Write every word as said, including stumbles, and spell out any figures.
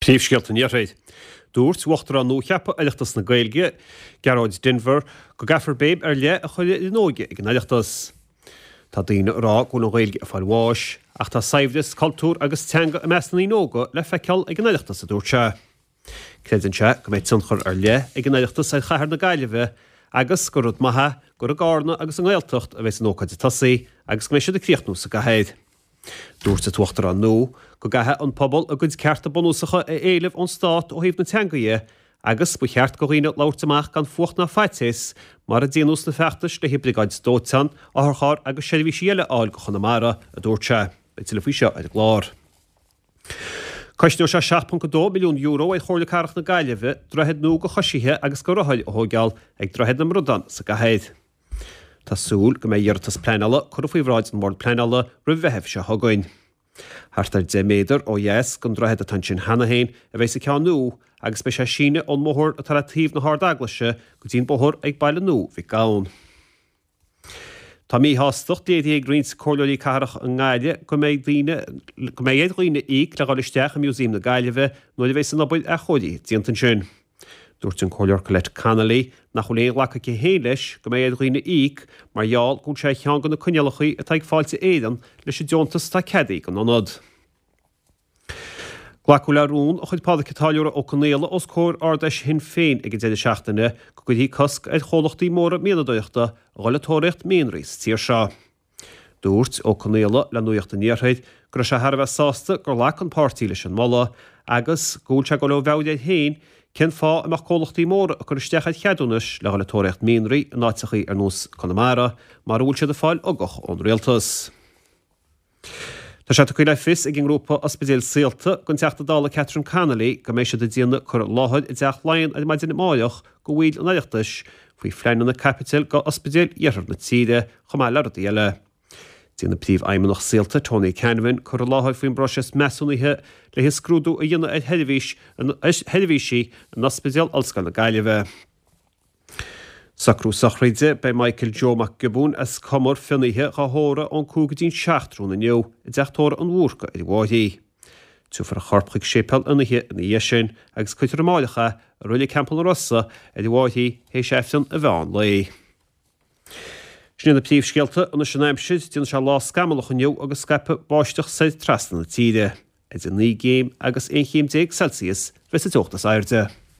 Príomhscéalta an Iarthair. Dúirt Uachtarán nuacheaptha Oireachtas na Gaeilge, Gearóid Denvir, go gcaithfear béim ar leith a chur ar an óige ag an Oireachtas. Tá daoine ag rá go bhfuil an Ghaeilge ag fáil bháis, ach tá saibhreas, cultúr agus teanga i measc na ndaoine óga le feiceáil ag an Oireachtas, a dúirt sé. Creideann sé go mbeidh tionchar ar leith ag an Oireachtas ar chathair na Gaillimhe agus gur rud maith é gur i gCarna agus i nGaeltacht a bheas an ócáid ag tosaí agus go mbeidh siad ag críochnú sa gcathair. Dúirt an tUachtarán nua go gcaithfidh an pobal a gcuid cearta bunúsacha a éileamh ón stát ó thaobh na teanga dhe agus ba cheart do dhaoine labhairt amach gan fuacht ná faitíos mar a déanadh sna feachtais le haghaidh briogáid dóiteáin, otharcharr agus seirbhísí eile a fháil go Chonamara, a dúirt sé. Beidh tuilleadh faoi seo ar an gclár. Cosnóidh sé seacht ponc a dó milliún euro ar Chomhairle Cathrach na Gaillimhe droichead nua do choisithe agus do rothair a thóigeáil ag Droichead na mBradán sa gcathair. Tá súil go mbeidh iarratas pleanála curtha faoi bhráid an Bhord Pleanála roimh Mheitheamh seo chugainn. Thart ar deich méadar ó dheas den droichead atá ansin cheana féin a bheidh sa ceann nua agus beidh sé ag síneadh ón mbóthar atá le taobh na hArd-Eaglaise go dtí an bóthar ag Baile Nua Mhic Gabhann. Tá míshástacht léirithe ag roinnt comhairleoirí cathrach i nGaillimh go mbeidh daoine go mbeidh ar dhaoine íoc le dhul isteach i Músaem na Gaillimhe nuair a bheidh an obair athchóirithe déanta ansin. Dúirt an Comhairleoir Colette Connolly nach bhfuil aon ghlacadh aici féin leis go mbeidh ar dhaoine íoc mar gheall go bhfuil sé ar cheann de na coinníollacha atá ag Fáilte Éireann leis an deontas atá ceadaithe don ionad. Glacadh le rún a chuir Pádraic an Táilliúra Ó Conaola os comhair Ard-Fheis Shinn Féin ag an deireadh seachtaine go gcuirfí cosc ar chomhlachtaí móra mianadóireachta a dhul ag tóraíocht mianraí sa tír seo. Dúirt Ó Conaola le Nuacht an Iarthair go raibh sé thar a bheith sásta gur ghlac an páirtí leis an moladh agus go bhfuil sé ag dul ó mheabhair air féin cén fáth a mbeadh comhlachtaí móra ag cur isteach ar cheadúnais le dhul ag tóraíocht mianraí in áiteachaí ar nós Conamara mar a bhfuil siad ag fáil ugach ón rialtas. Tá sé tugtha le fios ag an ngrúpa Ospidéil Saolta don Teachta Dála Catherine Connolly go mbeidh siad ag déanamh cur i láthair i dTeach Laighean ar maidin amárach do bhaill an Oireachtais faoi phleananna caipitil do ospidéil iarthar na tíre chomh maith le rudaí eile. Déanfaidh Príomhfheidhmeannach Saolta Tony Canavan cur i láthair faoin bpróiseas measúnaithe le haghaidh scrúdú a dhéanamh ar sheirbhís sheirbhísí in Ospidéal Ollscoil na Gaillimhe. Socrú sochraide, Beidh Michael Joe Mac Giobúin as Cumar Fionnaithe dhá thórramh ón cúig go dtí'n seacht tráthnóna inniu i dteach tórraimh an Bhúrca ar an bhFairche. Tabharfar a chorp chuig séipéal Fhionnaithe ina dhiaidh sin agus cuirfear amárach é i Reilig Theampall na Rosa ar an bhFairche théis Aifreann an mheán lae. Sin iad na príomhscéalta anois an aimsir, déanfaidh sé lá scamallach inniu agus scaipfidh báisteach soir trasna na tíre. Idir naoi gcéim agus aon chéim déag Celsius bheas an teocht is airde.